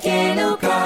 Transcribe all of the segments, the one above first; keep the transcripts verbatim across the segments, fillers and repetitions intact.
Keluka,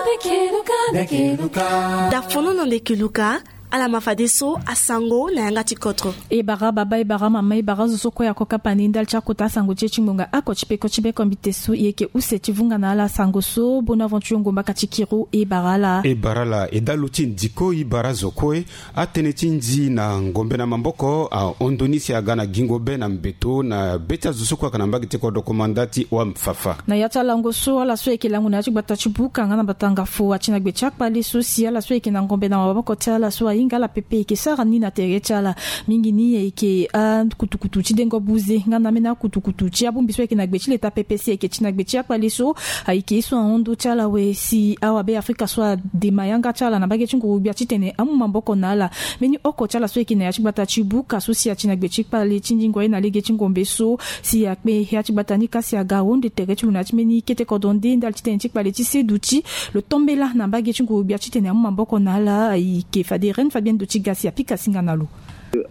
be keluka, be keluka. Da fono na nde keluka. Ala ma fadeso asango na yanga ti kodro. E bara baba, e bara mama, e bara zo so kue ako kapa ni ndali ti akota asango ti e ti ngonga oko ti peko ti be kombite so. E yeke use ti vunga na ala sango so. Bonaventure Ngomba ka ti kiri. E bara ala. E bara ala. E dalo ti ndiko e bara zo kue. Atënë ti nzi na ngombe na maboko ahon ndoni si aga na gingo be na mbeto na be ti azo so kue ayeke na mbage ti kodro komanda ti Wam Fafa. Na ya ti alango so ala so ayeke lango na ya ti gbata ti buka nga na batanga fo ati na gbe ti akpale so si ala so ayeke na ngombe na maboko ti ala so ahinga ala pepe ayeke sara ni na tere ti ala. Mingi ni ayeke akutukutu ti dengo buze nga na ambeni akutukutu ti abongbi so ayeke na gbe ti leta pepe si ayeke ti na gbe ti akpale so. Ayeke ye so ahon ndo ti ala awe si awabe afrika so adema yanga ti ala na mbage ti nguru-gbia titene amu maboko na ala. Mbeni oko ti ala so ayeke na ya ti gbata ti buka so si ati na gbe ti kpale ti ndingo aye na lege ti ngombe so si akpe ya ti gbata ni ka si aga ahonde tere ti lo na ya ti mbeni kete kodro nde ndali titene ti kpale ti seduti lo tombela na mbage ti nguru-gbia titene amu maboko na ala. Ayeke fade Reine Fabienne Dotiga si apika singa na lo.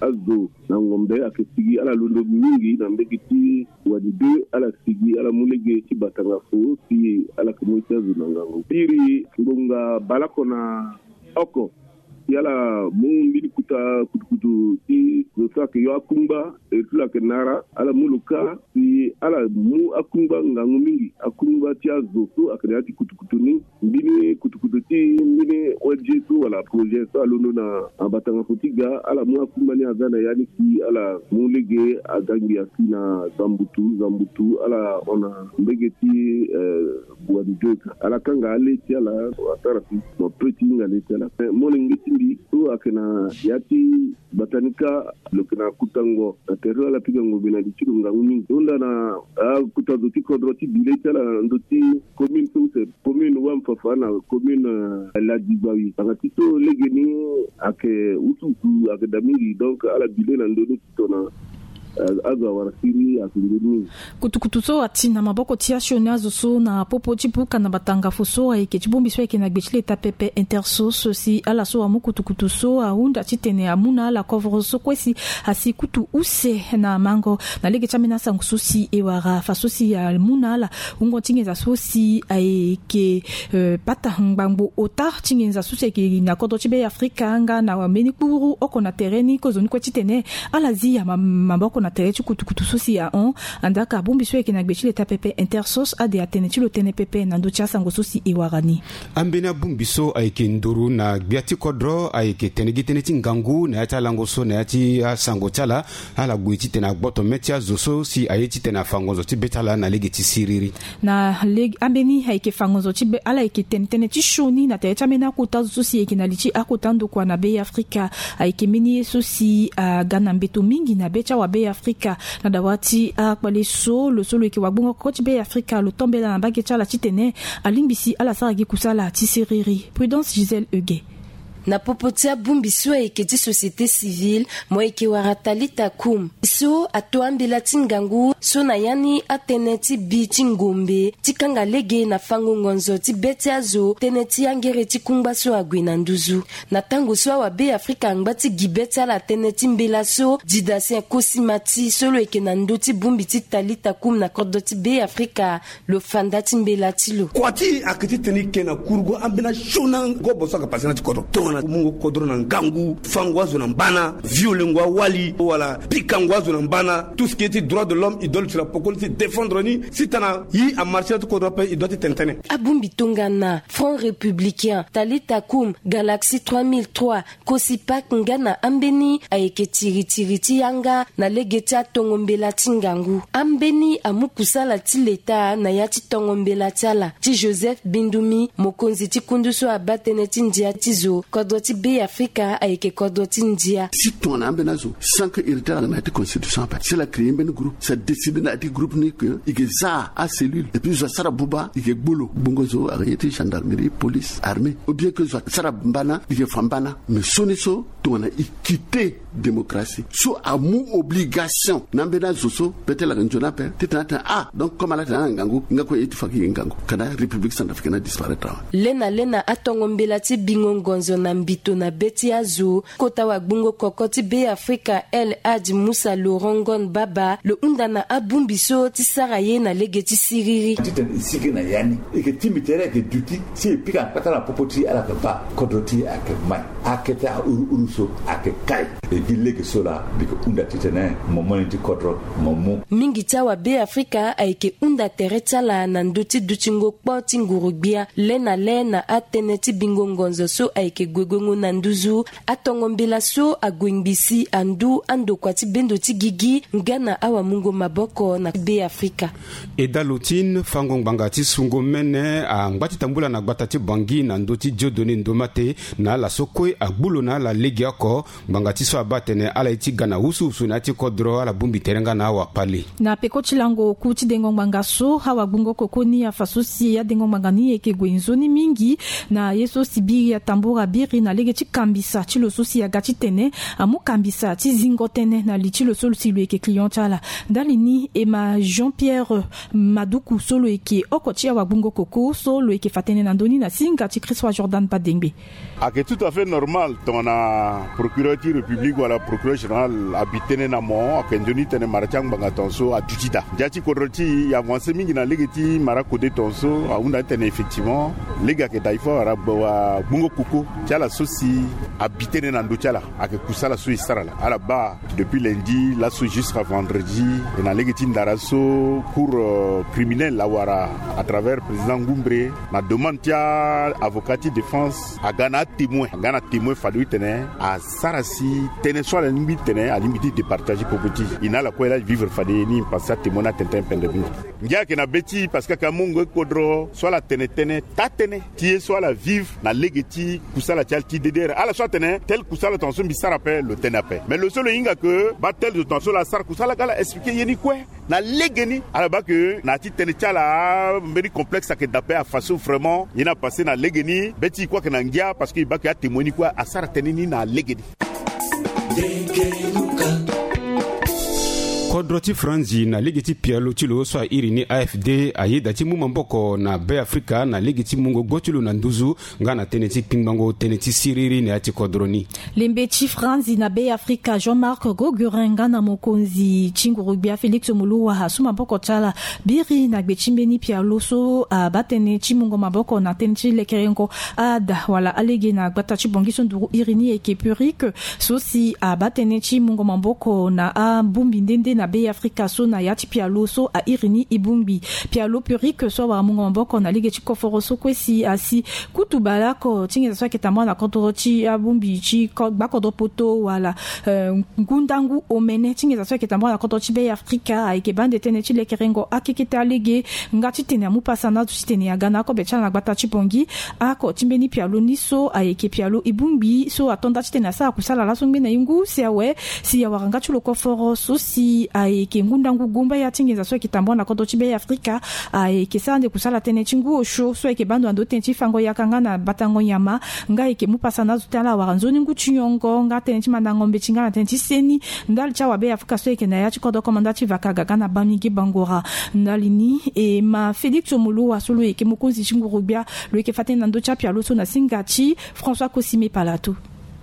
Azo na ngombe ayeke sigi ala londo mingi na mbege ti wani deux, ala sigi ala mu lege ti batanga fo si ala yeke mu ye ti azo na ngangu. Iri ngonga baleoko na oko si ala mu mbeni kuta kutukutu ti zo so ayeke yo akungba, e ti lo ayeke nara ala mu lo ka si ala mu akungba ngangu mingi, akungba ti azo so ayeke na ya ti kutukutu ni. Mbeni kutukutu ti mbeni O N G so wala projet so alondo na batanga fo ti ga, ala mu akungba ni aga na ya ni si ala mu lege aga ngbia si na zambutu zambutu ala hon na mbege ti, eh, wani deux. Ala kanga ale ti ala asara si mo pe ti hinga le ti ala. Eh, molenge ti mbi so ayeke na ya ti gbata ni ka, lo yeke na kutango na tere ala pika ngombe na li ti lo ngangu mingi. Hunda na akuta zo ti kodro ti bi le ti ala na ndö ti commune so use commune Wam Fafa na commune, eh, Ladi Gbawi. Tanga ti so legeni ayeke wusuwusu ayeke daa mingi, donc ala bi le na ndö ni titona, eh, azo awara siriri ayeke nzoni mingi. Kutukutu so ati na maboko ti asioni azo so na popo ti buka na batanga fo so ayeke ti bongbi so ayeke na gbe ti leta pepe Intersos si ala so amu kutukutu so ahunda titene amu na ala kovoro so kue si asi kutu use na mango. Na lege ti ambeni asango so si e wara fa so si amu na ala wungo ti nginza so si ayeke, eh, pata ngbangbo ota ti nginza so si ayeke na kodro ti be afrika nga na mbeni kpuru oko na tere ni kozoni kue titene ala zi ya ma- maboko na tere ti kutukutu so si ahon. Andaa ka bongbi so ayeke na gbe ti leta pepe Intersos ade atene ti lo tënë pepe na ndö ti asango so si e wara ni. Ambeni abongbi so ayeke nduru na gbia ti kodro ayeke tene gi tënë ti ngangu na ya ti alango so na ya ti asango ti ala. Ala gue titene agboto mê ti azo so si aye titene afa ngonzo ti be ti ala na lege ti siriri. Na lege ambeni ayeke fa ngonzo ti be ala yeke tene tënë ti sioni na tere ti ambeni akota zo so si ayeke na li ti akota ndokua na be afrika. Ayeke mbeni ye so si aga na mbeto mingi na be ti awabe afrika. Na dawa ti akpale so lo so lo yeke wagbongo koko ti be afrika lo tombela na mbage ti ala titene alingbi si ala sara gi kusala ti siriri. Prudence Gisèle Euge. Na popo ti abongbi so ayeke ti société civile, mo yeke wara Talita Kum so ato ambela ti ngangu so na ya ni atënë ti bi ti ngombe ti kanga lege na fango ngonzo ti be ti azo tënë ti angere ti kungba so ague na nduzu. Na tango so awabe afrika angba ti gi be ti ala tënë ti mbela so, didasien kosimati so lo yeke na ndö ti bongbi ti Talita Kum na kodro ti be afrika, lo fa nda ti mbela ti lo. Kua ti e ayeke titene e ke na kurugu ambeni asioni ngobo so ayeke pase na ya ti kodro tongana mungo kodro na ngangu, fango azo na mbana, violengo awali wala pikango azo na mbana. Tout ce qui est ti droit de l'homme, e doit lo tira poko ni ti défendre ni. Si tana e amarche na ya ti kodro ape, e doit ti tene tënë. Abongbi tongana Front Républicain, Talita Kum, Galaxie trois mille trois, Kosipak nga na ambeni ayeke tiritiri ti yanga na lege ti atongo mbela ti ngangu. Ambeni amu kusala ti leta na ya ti tongo mbela ti ala ti Joseph Bindumi, mokonzi ti kundu so abaa tënë ti ndia ti zo, kodro ti Beafrika ayeke kodro ti ndia. Si tongana ambeni azo sans que iri ti ala na ya ti constitution ape, si ala créer mbeni groupe, si adécider na ya ti groupe ni que e ke za acellule et puis zo asara buba, e ke gbu lo, gbongo zo ayeke ye ti gendarmerie, police, armée, ou bien que zo asara mbana, e ke fa mbana. Mais sioni so Tongana e quitté démocratie so amu obligation na ambeni azo so peut-être ala yeke nzoni ape titene atene ah, donc comme ala tene ala na ngangu nga kue ye ti fa gi ngangu. Kana République centrafricaine adisparaître awe. Lena lena atongo mbela ti bingo ngonzo na mbito na be ti azo. Kota wagbungo koko ti Be Afrika El Hadj Musa Lorongon Baba lo hunda na abongbi so ti sara ye na lege ti siriri. Titene e sigi na ya ni, e yeke tingbi tere ayeke duti si e pika na kpata na popo ti ala yeke baa kodro ti e ayeke mai. Akete ahuru huru so ayeke kai. E gi lege so laa mbi yeke hunda titene mo mo ni ti kodro mo mu. Mingi ti awa Be Afrika ayeke hunda tere ti ala na ndö ti dutingo kpo ti nguru-gbia le na le na atënë ti bingo ngonzo so ayeke gue guengo na nduzu. Atongo mbela so ague ngbii si andu andokua ti bendo ti gigi nga na awamungo maboko na Be Afrika. Eda lo ti fango ngbanga ti sungo mene angba ti tambula na gbata ti Bangui na ndö ti Dieudonné Ndomate na ala so kue agbu lo na ala legeoko. Ngbanga ti so abaa atene ala ye ti ga na wusuwusu na ya ti kodro ala bongbi tere nga na awakpali. Na peko ti lango oku ti dengo ngbanga so awagbungo koko ni afa so si adengo ngbanga ni yeke gue nzoni mingi na ye so si biri atambura biri na lege ti kambisa ti lo so si aga titene amu kambisa ti zingo tënë na li ti lo so si lo yeke client ti ala. Ndali ni e ma Jean Pierre Maduku so lo yeke oko ti awagbungo koko so lo yeke fa tënë na ndö ni na singa ti Christ Roi Jordan Badengbe. Ayeke tout à fait normal tongana procureur ti république wala procureur général abi tënë na mo ayeke nzoni titene mara ti angbanga tongaso aduti daa. Ndia ti kodro ti e avance mingi na lege ti mara kode tongaso ahunda titene effectivement lege ayeke daa il faut awara gbungo koko ti ala so si abi tënë na ndö ti ala. Ayeke kusala so e sara laa ala baa depuis lundi laso jusqu'à vendredi. E na lege ti ndara so cour criminel awara à travers président Ngoumbre na demande ti avocat ti défense aga na atémoin aga na témoin fade titene asara si tënë so ala lingbi titene alingbi ti départage popo ti e na ala kue laa e vivre fade ni. Parce que atémoin ni atene tënë pendre mingi. Ngia ayeke na be ti e parce que ayeke amongo kodro so ala tene tënë taa tënë ti ye so ala vive na lege ti kusala ti ala ti dedere ala so atene tel kusala tongaso mbi sara ape lo tene ape mais lo so lo hinga ke baa tel zo tongaso lo asara kusala aga ala expliquer ye ni kue. Na legeni ala baa ke na ya ti tënë ti ala mbeni complexe ayeke daa ape afa so vraiment ye ni apasse na legeni be ti e kue ayeke na ngia parce que e baa ke atémoin ni kue asara tënë ni na legeni. Kodro ti Franzi na lege ti pialo ti lo so a iri ni A F D ayeda ti mu maboko na Be Afrika na lege ti mungo gbo ti lo na nduzu nga na tënë ti kpingbango tënë ti siriri na ya ti kodro ni. Lembe ti Franzi na Be Afrika Jean-Marc Gogurin nga na mokonzi ti nguru-gbia Félix Moloua asu maboko ti ala biri na gbe ti mbeni pialo so abaa tënë ti mungo maboko na tënë ti lekerengo ada wala alege na gbata ti Bangui so nduru iri ni eke Purique so si abaa tënë ti mungo maboko na abongbi nde nde na Be Afrika so na ya ti pialo so a iri ni e bongbi pialo Purique so awara mungo maboko na lege ti koforo so kue si asi kutu baleoko ti nginza so ayeke tambula na kodro ti abongbi ti gbakodro poto wala ngu ndangu omene ti nginza so ayeke tambula na kodro ti Be Afrika ayeke baa nde tënë ti lekerengo akekete alege nga titene amu pasa na azo titene aga na akobe ti ala na gbata ti Bangui. Ako ti mbeni pialo ni so ayeke pialo e bongbi so ato nda titene asara kusala laso ngbene ye ngu si awe si awara nga ti lo koforo so si ayeke ngu ndangu gumbaya ti nginza so ayeke tambula na kodro ti Be Afrika. Ayeke sara nde kusala tënë ti ngu osio so ayeke baa ndo na ndo tënë ti fango yaka nga na batango nyama nga ayeke mu pasa na azo ti ala awara nzoni ngu ti nyongo nga tënë ti mandango mbeti nga na tënë ti seni ndali ti awabe Afrika so ayeke na ya ti kodro komanda ti vakaga ga na Bamingui Bangoura. Ndali ni e ma Félix Moloua so lo yeke mokonzi ti nguru-gbia lo yeke fa tënë na ndö ti apialo so na singa ti François Cosime Palatou.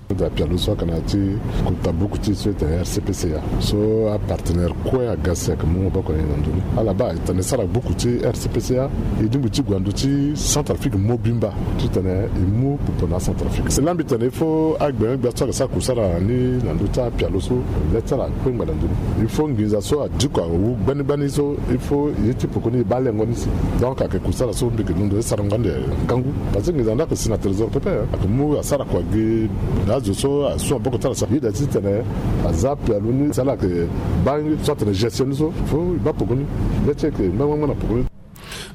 Nda pialo so ayeke na ya ti kota buku ti e so ete R C P C A so apartenaire kue aga si ayeke mu maboko na e na ndö ni ala baa e tene sara buku ti R C P C A. E lingbi ti gue na ndö ti Centrafrique mobimba titene e mu popo na aCentrafrique. Cela mbi tene il faut agbengbe gbia so ayeke sara kusara ni na ndö ti apialo so le ti ala akpengba na ndö ni. Il faut nginza so adiko awu gbani gbani so il faut ye ti poko ni e baa lengo ni si. Donc ayeke kusala so mbi yeke londo ti sarango ande ngangu. Parce que nginza ni ayeke si na trésor pepe ayeke mu asara kua gi na azo so asu maboko ti ala so ayeda titene aza pialo ni si ala yeke baa so atene gestion ni so. Faut e baa poko ni. Ngia ti e yeke ngbangba na poko ni.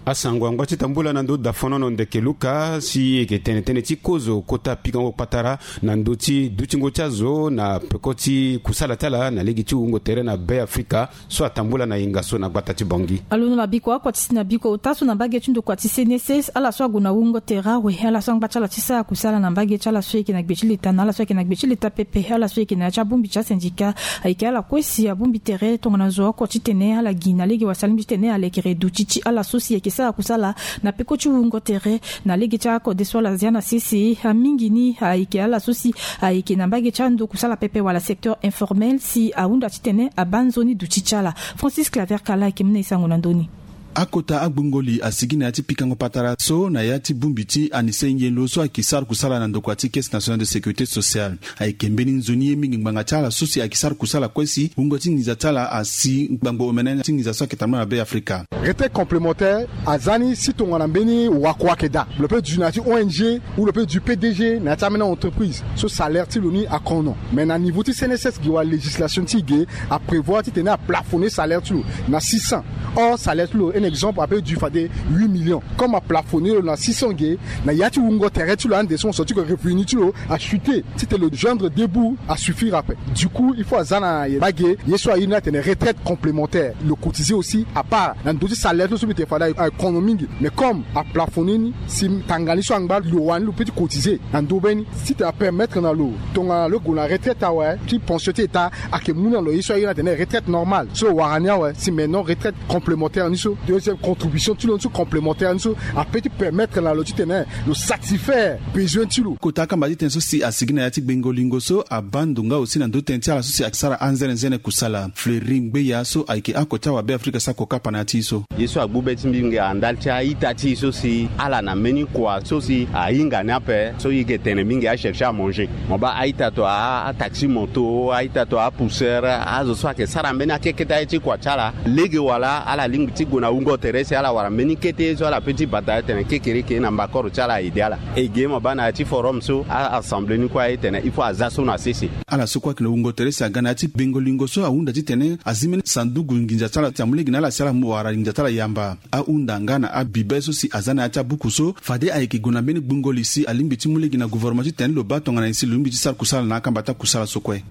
Asango angba ti tambula na ndö dafonono ndeke luka si e yeke tene tënë ti kozo kota pikango patara na ndö ti dutingo ti azo na peko ti kusala ti ala na lege ti wungo tere na Be Afrika. So atambula na yenga so na gbata ti Bangui. Alondo na biko akua ti si na biko ota so na mbage ti ndokua ti C N S S, ala so ague na wungo tere awe, ala so angba ti ala ti sara kusala na mbage ti ala so e yeke na gbe ti leta na ala so ayeke na gbe ti leta pepe, ala so e yeke na ya ti abongbi ti asindika, ayeke ala kue si abongbi tere tongana zo oko titene ala gi na lege wala si alingbi titene alekere duti ti ala so si e yeke sara kusala na peko ti wungo tere na lege ti akode so ala zia na sese. Amingi ni ayeke ala so si ayeke na mbage ti ando kusala pepe wala secteur informel si ahunda titene abaa nzoni duti ti ala. Francis Claver Kala ayeke mu na e sango na ndö ni. Akota agbongoli asigi na ya ti pikango patara so na ya ti bongbi ti Anise Yelo so ayeke sara kusala na ndokua ti Caisse Nationale de Sécurité Sociale. Ayeke mbeni nzoni ye mingi ngbanga ti ala so si ayeke sara kusala kue si wungo ti nginza ti ala asi ngbangbo omene ti nginza so ayeke tambula na Be Afrika. Retraite complémentaire aza ni si tongana mbeni wako ayeke daa, lo peut du na ya ti O N G ou lo peut du P D G na ya ti ambeni entreprise so salaire ti lo ni akono. Mais na niveau ti C N S S ge wala législation ti e ge aprévoir titene aplafonner salaire ti lo na six cents. Or salaire ti lo, un exemple, apeut du fade huit millions. Comme aplafonner lo na six cents ge, na ya ti wungo tere ti lo ande so mo so ti ko revenu ti lo achuter, titene lo joindre deux bouts asuffire ape. Du coup il faut aza na ye mbage ye so aye ni atene retraite complémentaire. Lo cotiser aussi à part na ndö ti salaire ti lo so mbi tene fade akono mingi. Mais comme aplafonner ni, si tanga ni so angba lo wani lo peut ti cotiser na ndö be ni, titene apermettre na lo tongana lo gue na retraite awe, ti pension ti état ayeke mu na lo ye so aye ni atene retraite normale so lo wara ni awe. Si maintenant retraite complémentaire ni so, deuxième contribution ti lo ni so complémentaire ni so apeut ti permettre na lo titene lo satisfaire besoin ti lo. Kota akamba ti tënë so si asigi na ya ti gbengo lingo so abaa ndo nga aussi na ndö ti tënë ti ala so si asara anzenenzene kusala. Fleury Ngbeya so ayeke oko ti awabe Afrika so ako kapa na ya ti e so. Ye so agbu be ti mbi ngia na ndali ti a-ita ti e so si ala na mbeni kua so si ahinga ni ape so e yeke tene mingi a-chercher à manger. Mo baa a-ita to a-taxi moto, a-ita to a-pousseur, azo so ayeke sara mbeni akeketa ye ti kua ti ala. Lege wala ala lingbi ti gue na wungo tere si ala wara mbeni kete ye so ala peut ti bata atene kekereke na mbakoro ti ala aide ala. E ge mo baa na ya ti forum so a-assemblée ni kue aye tene il faut aza so na sese. Ala so kue ayeke na wungo tere si aga na ya ti gbengo lingo so ahunda titene azi mbeni sanduku nginza ti ala si amu lege na ala si ala mu wara nginza ti ala yamba. Ahunda nga na abibe so si aza na ya ti abuku so fade ayeke gue na mbeni gbungo li si alingbi ti mu lege na gouvernement titene lo baa tongana nyen si lo lingbi ti sara kusala na akamba ti akusala so kue.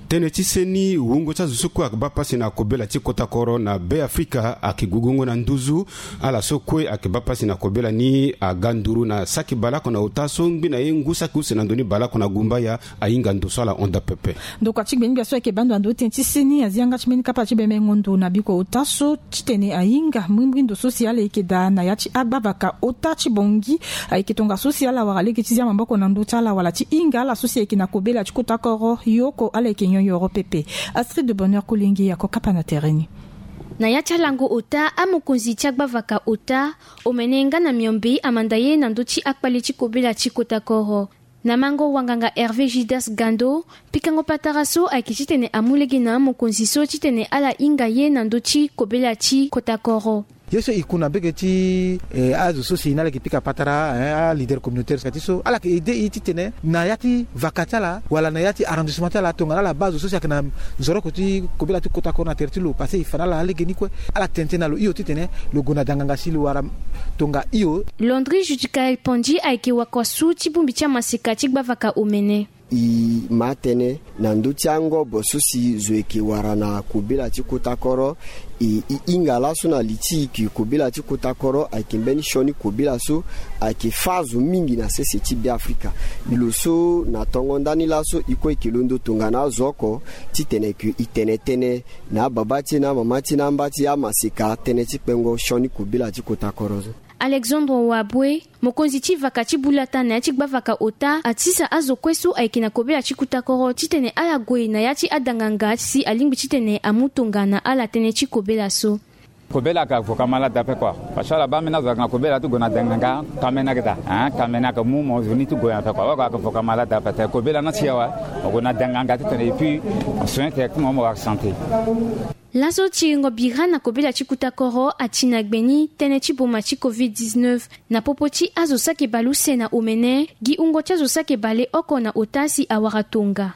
Tënë ti seni wungo ti azo so kue ayeke baa pasi na kobela ti kota koro na Be Afrika ayeke gugungo na nduzu. Ala so kue ayeke baa pasi na kobela ni aga nduru na saki baleoko na ota so ngbi na ye ngu saki use na ndo ni baleoko na gumbaya. Ahinga ndo so ala honda pepe. Ndokua ti gbengbia so ayeke baa ndo na ndo ti tënë ti seni azi yanga ti mbeni kapa ti bemengo ndo na biko ota so titene ahinga mbrimbri ndo so si ala yeke daa na ya ti agbavaka ota ti Bangui. Ayeke tongaso si ala wara lege ti zia maboko na ndö ti ala wala ti hinga ala so si ayeke na kobela ti kota koro yo oko ala yeke nyon yoro pepe. Astrid de Bonheur Kolenge ako kapa na tere ni. Na ya ti alango ota amokonzi ti agbavaka ota omene nga na miombe amanda ye na ndö ti akpale ti kobela ti kota koro. Na mango wanganga Hervé Judas Gando, pikango patara so ayeke titene amu lege na amokonzi so titene ala hinga ye na ndö ti kobela ti kota koro. Ye so e ku na mbege ti, eh, azo so si na ala yeke pika patara, eh, aleader communautaire ka ti so ala yeke aide e titene na ya ti vaka ti ala wala na ya ti arrondissement ti ala tongana ala baa azo so si ayeke na nzoroko ti kobela ti kota koro na tere ti lo parce que e fa na ala na lege ni kue. Ala tene tënë na lo hio titene lo gue na danganga si lo wara tonga hio. Landry Judicaël Pandi ayeke wakua su ti bongbi ti amaseka ti gbavaka omene. E ma tënë na ndö ti angobo so si zo yeke wara na kobela ti kota koro. E, e hinga laso na li ti e ke kobela ti kota koro ayeke mbeni sioni kobela so ayeke fâ azo mingi na sese ti Be Afrika. Lo so na tongo ndani laso e kue e ke londo tongana azo oko titene e ke e tene tënë na ababa ti e na amama ti e na amba ti amaseka tënë ti kpengo sioni kobela ti kota koro so. Alexandre Wabwe, mokonzi ti vaka ti bulata na ya ti gbavaka ota, atisa azo kue so ayeke na kobela ti kota koro titene ala gue na ya ti adanganga si alingbi titene amu tongana ala tënë ti kobela so. Kobela ka voka malade ape kua. Parce que ala baa ambeni azo ayeke na kobela ti gue na danganga, kamene ayeke daa. Hein, kamene ayeke mu mo zo ni ti gue ape kua. Wala ayeke voka malade ape te. Kobela ni asi awe, mo gue na danganga titene et puis mo soigner directement mo wara santé. Laso tiringo bira na kobela ti kota koro ati na gbe ni tënë ti boma ti covid dix-neuf. Na popo ti azo saki baleuse na omene, gi wungo ti azo saki baleoko na ota si awara tonga.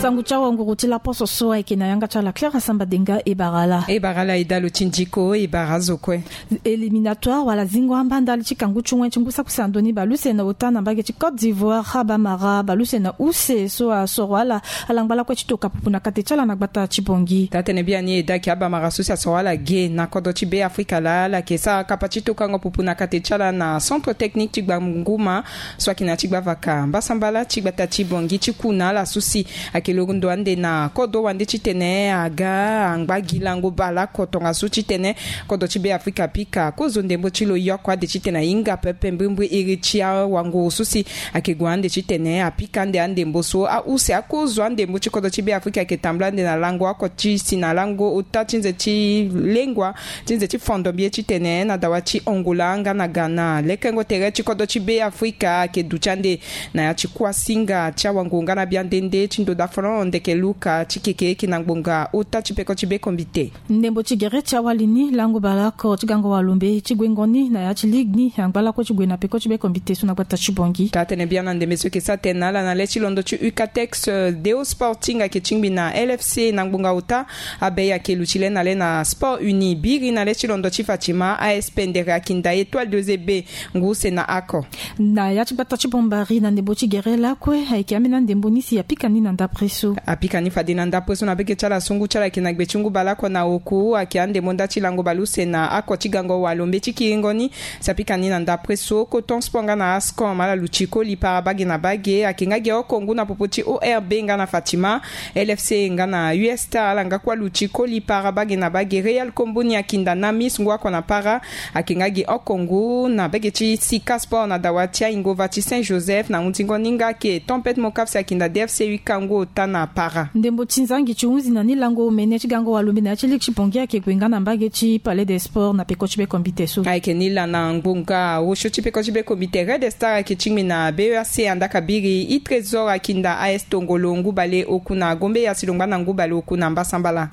Tangu ti awanguru ti laposo so ayeke na yanga ti ala Claire Asamba Denga. E bara ala. E bara ala e dalo ti ndiko, e bara azo kue. Éliminatoire wala zingo amba ndali ti kangu ti wen ti ngu sakusi andoni baleuse na ota na mbage ti Côte d'Ivoire, abamara baleuse na use so asoro ala, ala ngba lakue ti toka pupu na kate ti ala na gbata ti Bangui. Taa-tene biani e daki abamara so si asoro ala ge na kodro ti Be Afrika laa, ala yeke sara kapa ti tokango pupu na kate ti ala na centre technique ti Gbanguma so ayeke na ya ti gbavaka mbasambala ti gbata ti Bangui ti ku na ala so si ayeke londo ande na kodro wande titene aga angba gi lango baleoko tongaso titene kodro ti Be Afrika apika kozo ndembo ti lo yoko ade titene ahinga pepe mbrimbri iri ti awanguru so si ayeke gue ande titene apika ande andembo so. Ause akozo andembo ti kodro ti Be Afrika ayeke tambula ande na lango oko ti si na lango ota ti nze ti lengua ti nze ti fondo mbi ye titene na dawa ti Angola nga na Ghana. Lekengo tere ti kodro ti Be Afrika ayeke duti ande na ya ti kuasinga ti awanguru nga na biande nde ti ndoda folon ndeke luka ti keke eke na ngbonga ota ti peko ti be kombite. Ndembo ti gere ti awali ni lango baleoko ti gango walombe ti guengo ni na ya ti ligue ni angba lakue ti gue na peko ti be kombite so na gbata ti Bangui. Taa-tene biani andembe so ayeke sara tene na ala na le ti londo ti Ucatex, euh, Deo Sporting ayeke tingbi na L F C na ngbonga ota. Abe ayeke luti le na le na Sport Uni biri na le ti londo ti Fatima, A S P Ndere akinda Etoile de Zebe ngu use na oko. Na ya ti gbata ti Bombari na ndembo ti gere lakue ayeke ambeni andembo ni si apika ni na ndapre so. Apika ni fade na ndapre so na bege ti ala so ngu ti ala ayeke na gbe ti ngu baleoko na oku ayeke andembo nda ti lango baleuse na oko ti gango walombe ti kiringo ni si apika ni na ndapre so. Coton Sport nga na Ascom ala luti koli para bage na bage ayeke nga ge oko ngu na popo ti O R B nga na Fatima. L F C nga na U S T A ala nga kue aluti koli para bage na bage. Real Komboni akinda Namis ngu oko na para ayeke nga gi oko ngu na bege ti Sika Sport na dawa ti aingova ti Saint Joseph na hunzingo ni nga ayeke Tempête Mokaf si akinda D F C Uka ngu ota na para. Ndembo ti nzangi ti hunzi na ni lango omene ti gango walombe na ya ti ligue ti Bangui ayeke gue nga na mbage ti Palais des Sports na peko ti be kombite so. Ayeke ni laa na ngbonga osio ti peko ti be kombite Red Star ayeke tingbi na B E A C andaka biri. E Trésor akinda A S Tongolo ngu bale oku na Gombe ya si lo ngba na ngu bale oku na mbasambala.